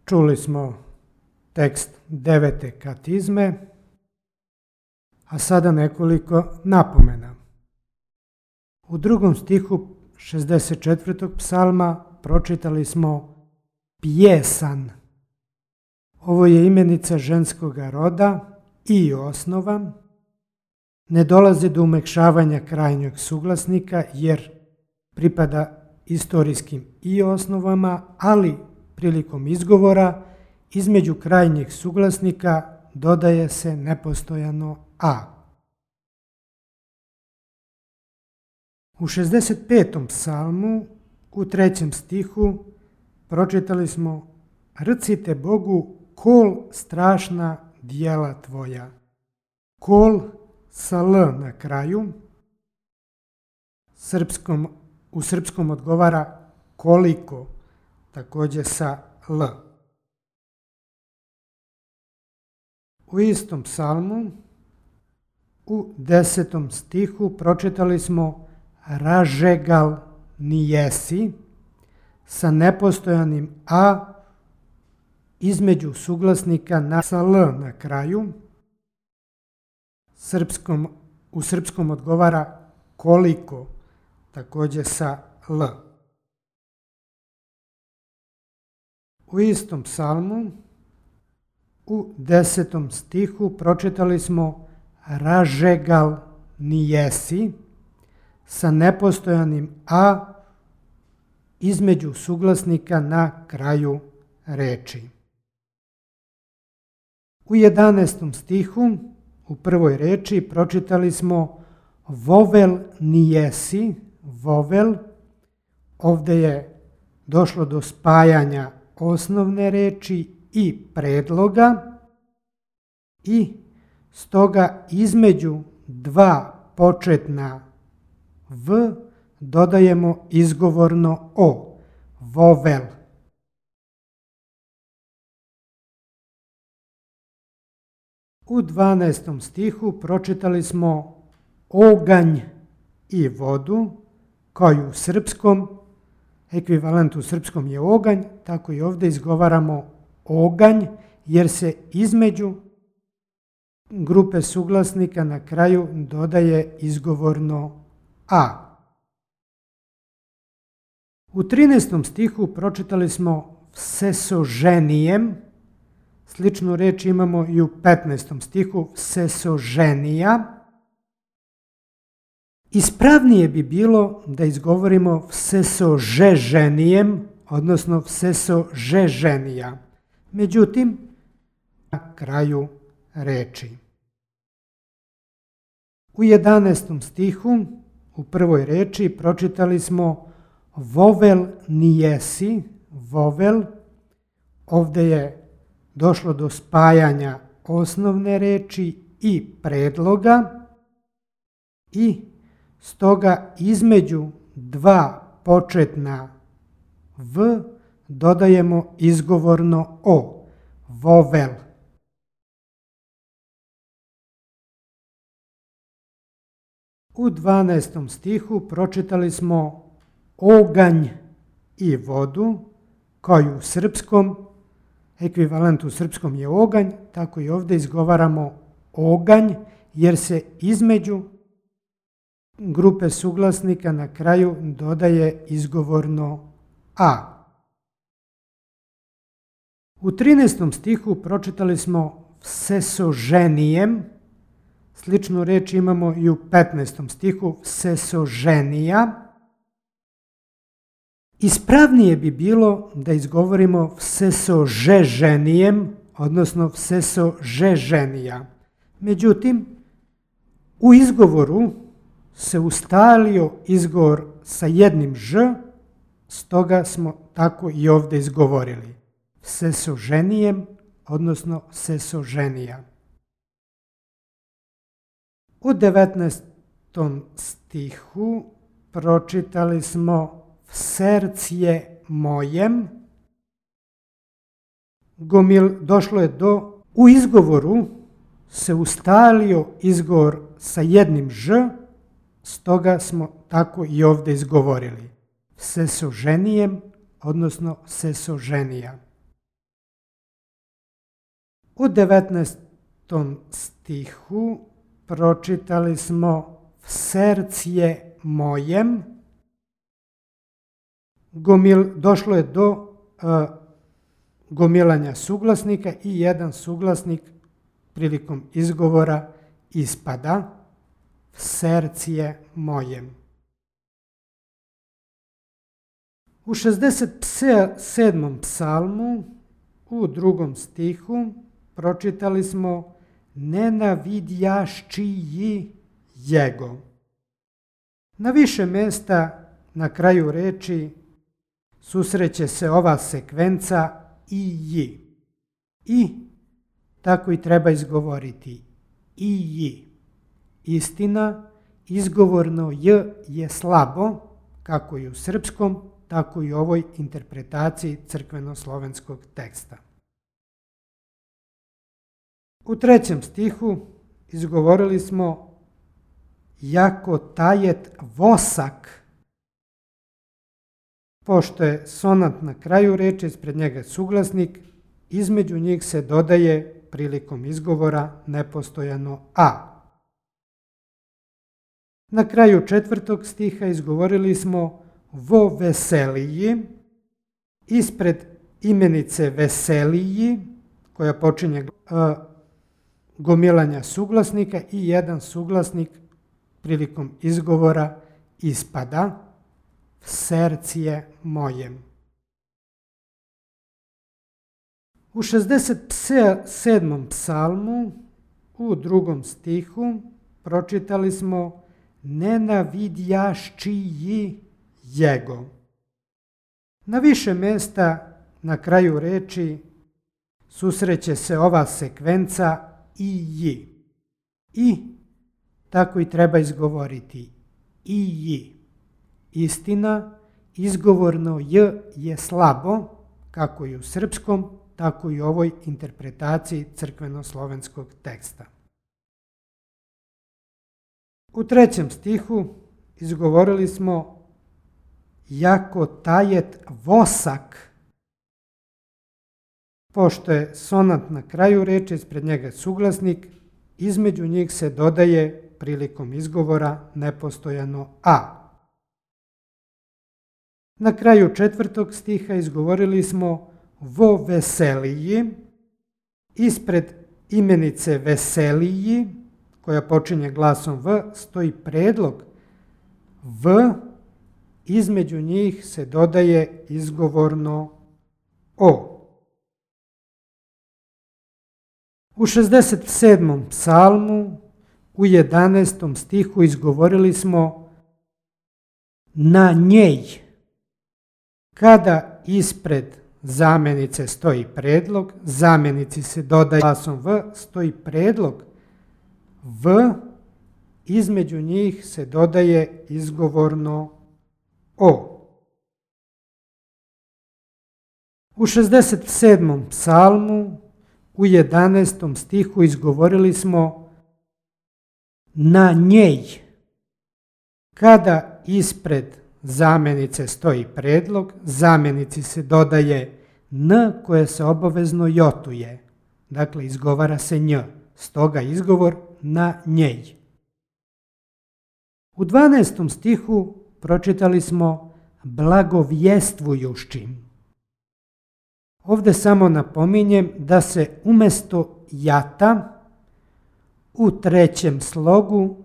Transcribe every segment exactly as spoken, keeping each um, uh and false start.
Čuli smo tekst devete katizme, a sada nekoliko napomena. U drugom stihu šezdeset četvrtog psalma pročitali smo pjesan. Ovo je imenica ženskoga roda i osnova. Ne dolazi do umekšavanja krajnjeg suglasnika jer pripada istorijskim i osnovama, ali prilikom izgovora između krajnjeg suglasnika dodaje se nepostojano a. U šezdeset petom psalmu u trećem stihu pročitali smo rcite Bogu kol strašna djela tvoja. Kol sa l na kraju. Srpskom, u srpskom odgovara koliko, također sa l. U istom psalmu u desetom stihu pročitali smo ražegal nijesi sa nepostojanim a između suglasnika na sa l na kraju. Srpskom, u srpskom odgovara koliko, također sa l. U istom psalmu u desetom stihu pročitali smo ražegal nijesi sa nepostojanim a između suglasnika na kraju reči. U jedanaestom stihu u prvoj reči pročitali smo vovel nijesi, vovel. Ovdje je došlo do spajanja osnovne reči i predloga i stoga između dva početna v dodajemo izgovorno o, vovel. U dvanaestom stihu pročitali smo oganj i vodu, kao i u srpskom, ekvivalent u srpskom je oganj, tako i ovdje izgovaramo oganj, jer se između grupe suglasnika na kraju dodaje izgovorno a. U trinaestom stihu pročitali smo vsesoženijem, sličnu reč imamo i u petnaestom stihu vsesoženija. Ispravnije bi bilo da izgovorimo vsesožeženijem, odnosno vsesožeženija. Međutim, na kraju reči. U jedanaestom stihu u prvoj reči pročitali smo vovel nijesi, vovel. Ovdje je došlo do spajanja osnovne reči i predloga i stoga između dva početna v dodajemo izgovorno o, vovel. U dvanaestom stihu pročitali smo oganj i vodu, kao i u srpskom, ekvivalent u srpskom je oganj, tako i ovdje izgovaramo oganj, jer se između grupe suglasnika na kraju dodaje izgovorno a. U trinaestom stihu pročitali smo vsesoženijem, sličnu reč imamo i u petnaestom stihu vsesoženija. Ispravnije bi bilo da izgovorimo vsesožeženijem, odnosno vsesožeženija. Međutim, u izgovoru se ustalio izgovor sa jednim ž, stoga smo tako i ovdje izgovorili. Vsesoženijem, odnosno vsesoženija. U devetnaestom stihu pročitali smo srcje mojem. Gomil, došlo je do, u izgovoru se ustalio izgovor sa jednim ž, stoga smo tako i ovdje izgovorili. Vsesoženijem, odnosno vsesoženija. U devetnaestom stihu pročitali smo v sercije mojem. Gomil, došlo je do uh, gomilanja suglasnika i jedan suglasnik prilikom izgovora ispada v sercije mojem. U šezdeset sedmom psalmu u drugom stihu pročitali smo nenavidjaščiji jego. Na više mesta na kraju reči susreće se ova sekvenca i ji. I tako i treba izgovoriti. I ji. Istina, izgovorno j je slabo, kako i u srpskom, tako i u ovoj interpretaciji crkveno-slovenskog teksta. U trećem stihu izgovorili smo jako tajet vosak. Pošto je sonant na kraju reči, ispred njega suglasnik, između njih se dodaje prilikom izgovora nepostojano a. Na kraju četvrtog stiha izgovorili smo vo veseliji, ispred imenice veseliji, koja počinje uh, gomilanja suglasnika i jedan suglasnik prilikom izgovora ispada v sercije mojem. U šezdeset sedmom psalmu u drugom stihu pročitali smo nenavidjaščiji jego. Na više mesta na kraju reči susreće se ova sekvenca i ji. I tako i treba izgovoriti. I ji. Istina, izgovorno j je slabo, kako i u srpskom, tako i u ovoj interpretaciji crkveno-slovenskog teksta. U trećem stihu izgovorili smo jako tajet vosak. Pošto je sonant na kraju reči, ispred njega suglasnik, između njih se dodaje prilikom izgovora nepostojano a. Na kraju četvrtog stiha izgovorili smo vo veseliji, ispred imenice veseliji, koja počinje glasom v, stoji predlog v, između njih se dodaje izgovorno o. U šezdeset sedmom psalmu u jedanaestom stihu izgovorili smo na njej. Kada ispred zamjenice stoji predlog, zamjenici se dodaje glasom v, stoji predlog v, između njih se dodaje izgovorno o. U šezdeset sedmom psalmu u jedanaestom stihu izgovorili smo na njej. Kada ispred zamjenice stoji predlog, zamjenici se dodaje n koje se obavezno jotuje. Dakle, izgovara se nj. Stoga izgovor na njej. U dvanaestom stihu pročitali smo blagovjestvujušćim. Ovdje samo napominjem da se umjesto jata u trećem slogu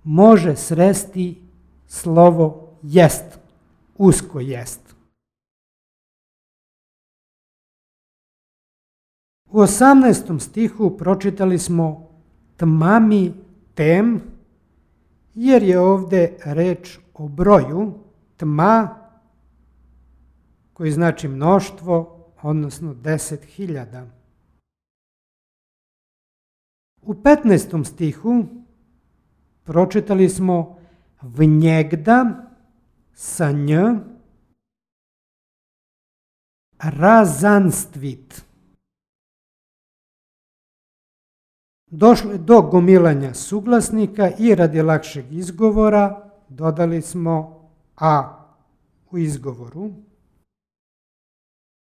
može sresti slovo jest, usko jest. U osamnaestom stihu pročitali smo tmami tem, jer je ovdje reč o broju tma, koji znači mnoštvo, odnosno deset hiljada. U petnaestom stihu pročitali smo vnjegda sa nj razanstvit. Došlo je do gomilanja suglasnika i radi lakšeg izgovora dodali smo a u izgovoru.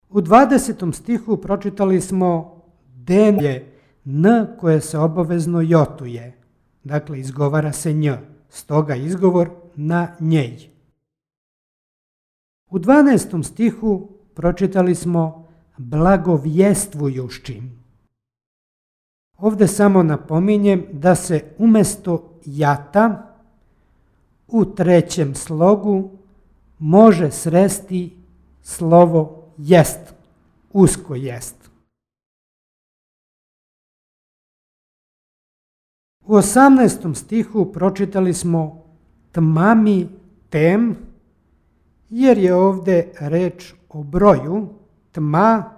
U dvadesetom stihu pročitali smo Den je N koje se obavezno jotuje. Dakle, izgovara se nj. Stoga izgovor na njej. U dvanaestom stihu pročitali smo blagovjestvujući. Ovdje samo napominjem da se umjesto jata u trećem slogu može sresti slovo jest, usko jest. U osamnaestom stihu pročitali smo tmami tem, jer je ovdje reč o broju tma,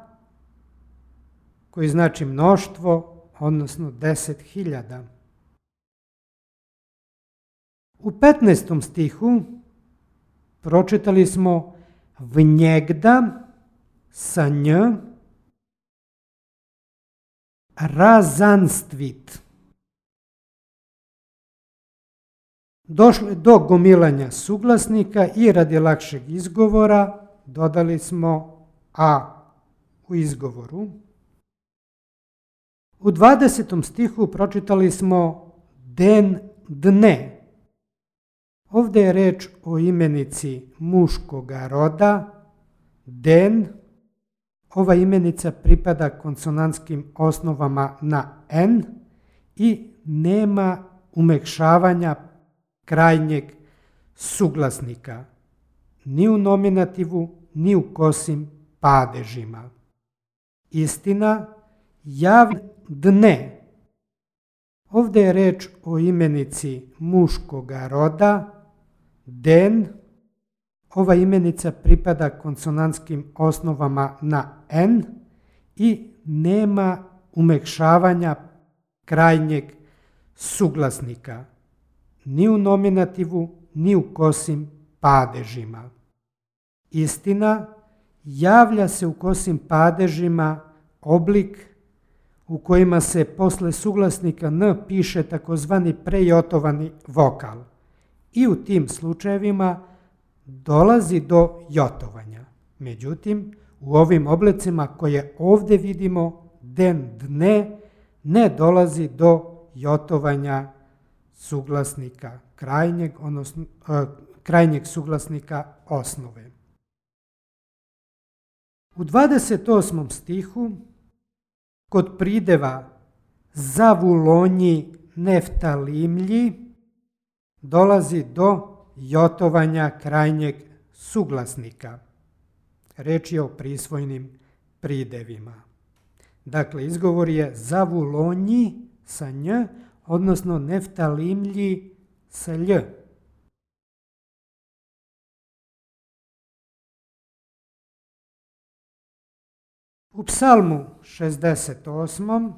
koji znači mnoštvo, odnosno deset hiljada. U petnaestom stihu pročitali smo vnjegda sa nj razanstvit. Došlo je do gomilanja suglasnika i radi lakšeg izgovora dodali smo a u izgovoru. U dvadesetom stihu pročitali smo den dne. Ovdje je reč o imenici muškoga roda, den. Ova imenica pripada konsonantskim osnovama na n i nema umekšavanja krajnjeg suglasnika, ni u nominativu, ni u kosim padežima. Istina, jav dne. Ovdje je reč o imenici muškoga roda, den. Ova imenica pripada konsonantskim osnovama na n i nema umekšavanja krajnjeg suglasnika, ni u nominativu, ni u kosim padežima. Istina, javlja se u kosim padežima oblik u kojima se posle suglasnika n piše takozvani prejotovani vokal i u tim slučajevima dolazi do jotovanja. Međutim, u ovim oblicima koje ovdje vidimo, den, dne, ne dolazi do jotovanja suglasnika krajnjeg, odnosno e, krajnjeg suglasnika osnove. U dvadeset osmom stihu kod prideva zavulonji neftalimlji dolazi do jotovanja krajnjeg suglasnika. Reč je o prisvojnim pridevima. Dakle, izgovor je zavulonji sa nj, odnosno neftalimlji sa lj. U psalmu šezdeset osmom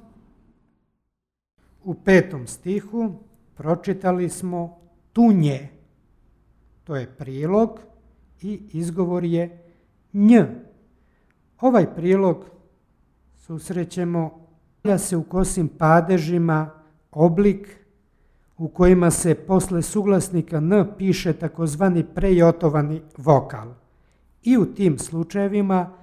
u petom stihu pročitali smo tunje. To je prilog i izgovor je nj. Ovaj prilog susrećemo da se u kosim padežima oblik u kojima se posle suglasnika n piše takozvani prejotovani vokal i u tim slučajevima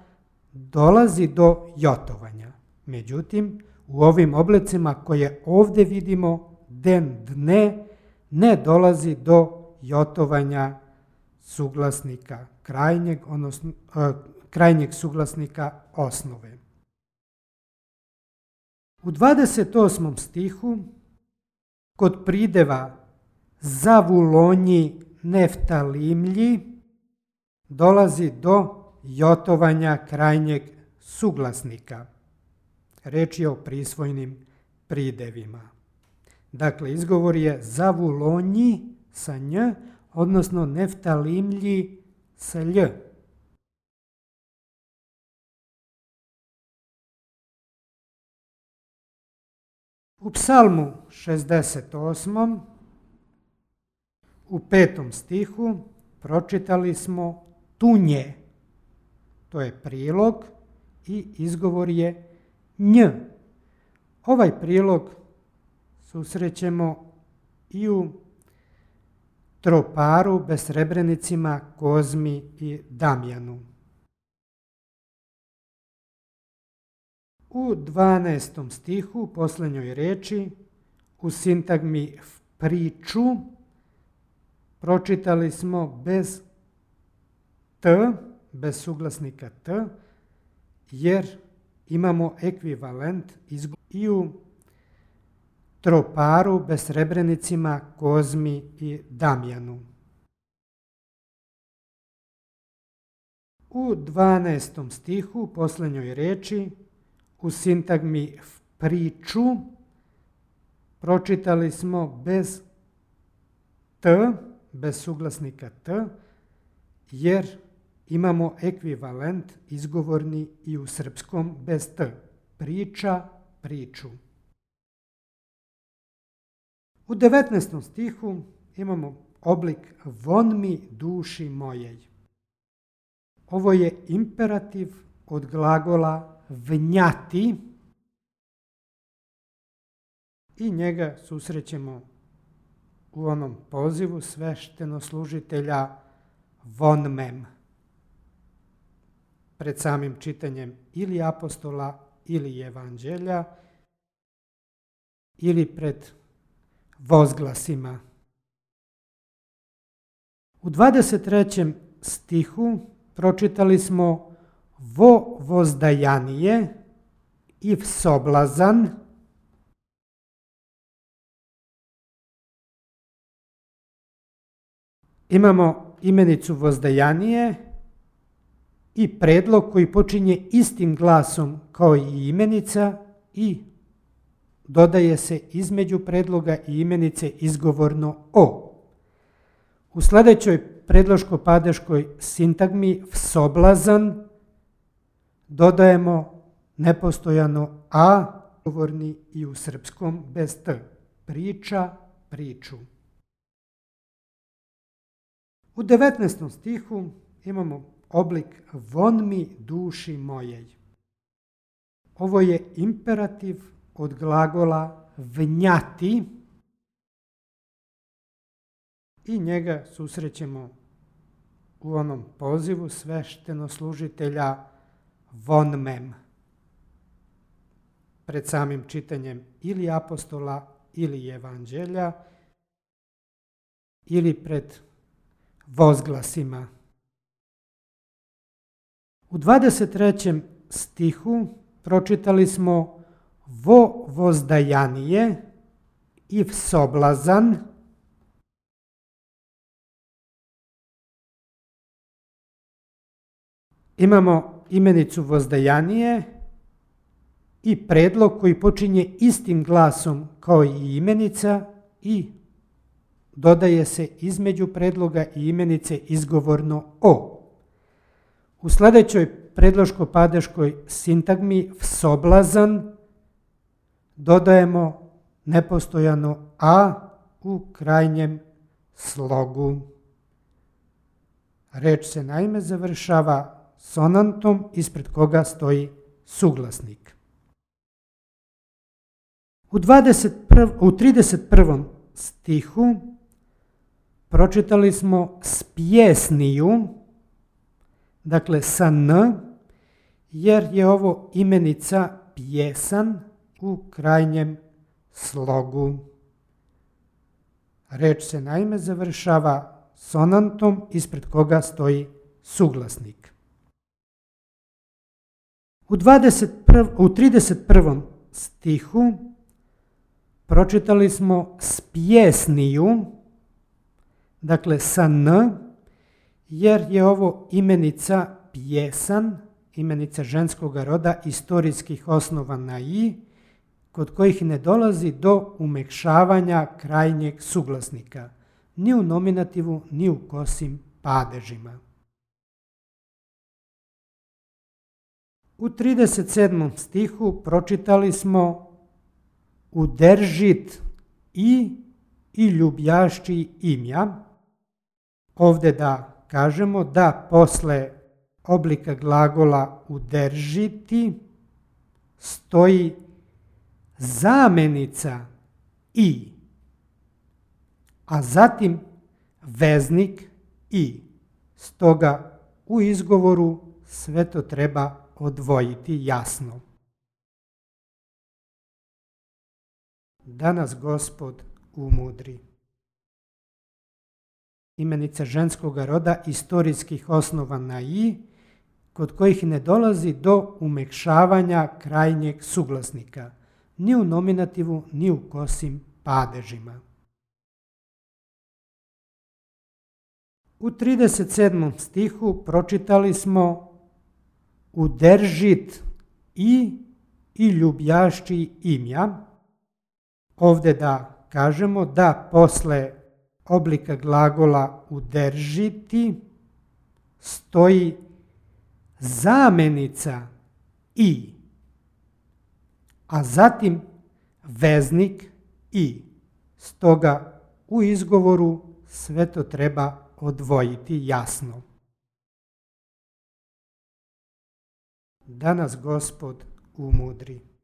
dolazi do jotovanja. Međutim, u ovim oblicima koje ovdje vidimo, den, dne, ne dolazi do jotovanja suglasnika krajnjeg, odnosno e, krajnjeg suglasnika osnove. U dvadeset osmom stihu kod prideva zavulonji neftalimlji dolazi do jotovanja krajnjeg suglasnika. Reč je o prisvojnim pridevima. Dakle, izgovor je zavulonji sa nj, odnosno neftalimlji sa lj. U psalmu šezdeset osmom u petom stihu pročitali smo tunje. To je prilog i izgovor je nj. Ovaj prilog susrećemo i u troparu, besrebrenicima, Kozmi i Damjanu. U dvanaestom stihu, posljednjoj reči, u sintagmi priču, pročitali smo bez t, bez suglasnika t, jer imamo ekvivalent i u troparu bez srebrenicima Kozmi i Damjanu. U dvanaestom stihu, posljednjoj reči, u sintagmi priču, pročitali smo bez t, bez suglasnika t, jer imamo ekvivalent izgovorni i u srpskom bez t. Priča, priču. U devetnaestom stihu imamo oblik von mi duši mojej. Ovo je imperativ od glagola vnjati i njega susrećemo u onom pozivu sveštenoslužitelja von mem. Pred samim čitanjem ili apostola ili evanđelja ili pred vozglasima. U dvadeset trećem stihu pročitali smo vo vozdajanije i soblazan. Imamo imenicu vozdajanije i predlog koji počinje istim glasom kao i imenica i dodaje se između predloga i imenice izgovorno o. U sljedećoj predloško-padeškoj sintagmi soblazan dodajemo nepostojano a, izgovorni i u srpskom bez t. Priča, priču. U devetnaestom stihu imamo oblik von mi duši mojej. Ovo je imperativ od glagola vnjati i njega susrećemo u onom pozivu sveštenoslužitelja von mem. Pred samim čitanjem ili apostola ili evanđelja ili pred vozglasima. U dvadeset trećem stihu pročitali smo vo vozdajanije i soblazan. Imamo imenicu vozdajanije i predlog koji počinje istim glasom kao i imenica i dodaje se između predloga i imenice izgovorno o. U sljedećoj predloško-padeškoj sintagmi soblazan dodajemo nepostojano a u krajnjem slogu. Reč se naime završava sonantom ispred koga stoji suglasnik. U, u trideset prvom stihu pročitali smo spjesniju, dakle sa n, jer je ovo imenica pjesan u krajnjem slogu. Reč se naime završava sonantom ispred koga stoji suglasnik. U, u trideset prvom stihu pročitali smo spjesniju, dakle sa n, jer je ovo imenica pjesan, imenica ženskog roda istorijskih osnova na i, kod kojih ne dolazi do umekšavanja krajnjeg suglasnika, ni u nominativu, ni u kosim padežima. U trideset sedmom stihu pročitali smo udržit i i ljubljašći imja. Ovdje da kažemo da posle oblika glagola udržiti stoji zamenica i, a zatim veznik i. Stoga u izgovoru sve to treba odvojiti jasno. da nas Gospod umudri. Imenica ženskoga roda istorijskih osnova na i, kod kojih ne dolazi do umekšavanja krajnjeg suglasnika, ni u nominativu, ni u kosim padežima. U trideset sedmom stihu pročitali smo udržit i i ljubljašći imja. Ovdje da kažemo da posle oblika glagola udržiti stoji zamenica i, a zatim veznik i. Stoga u izgovoru sve to treba odvojiti jasno. Da nas Gospod umudri.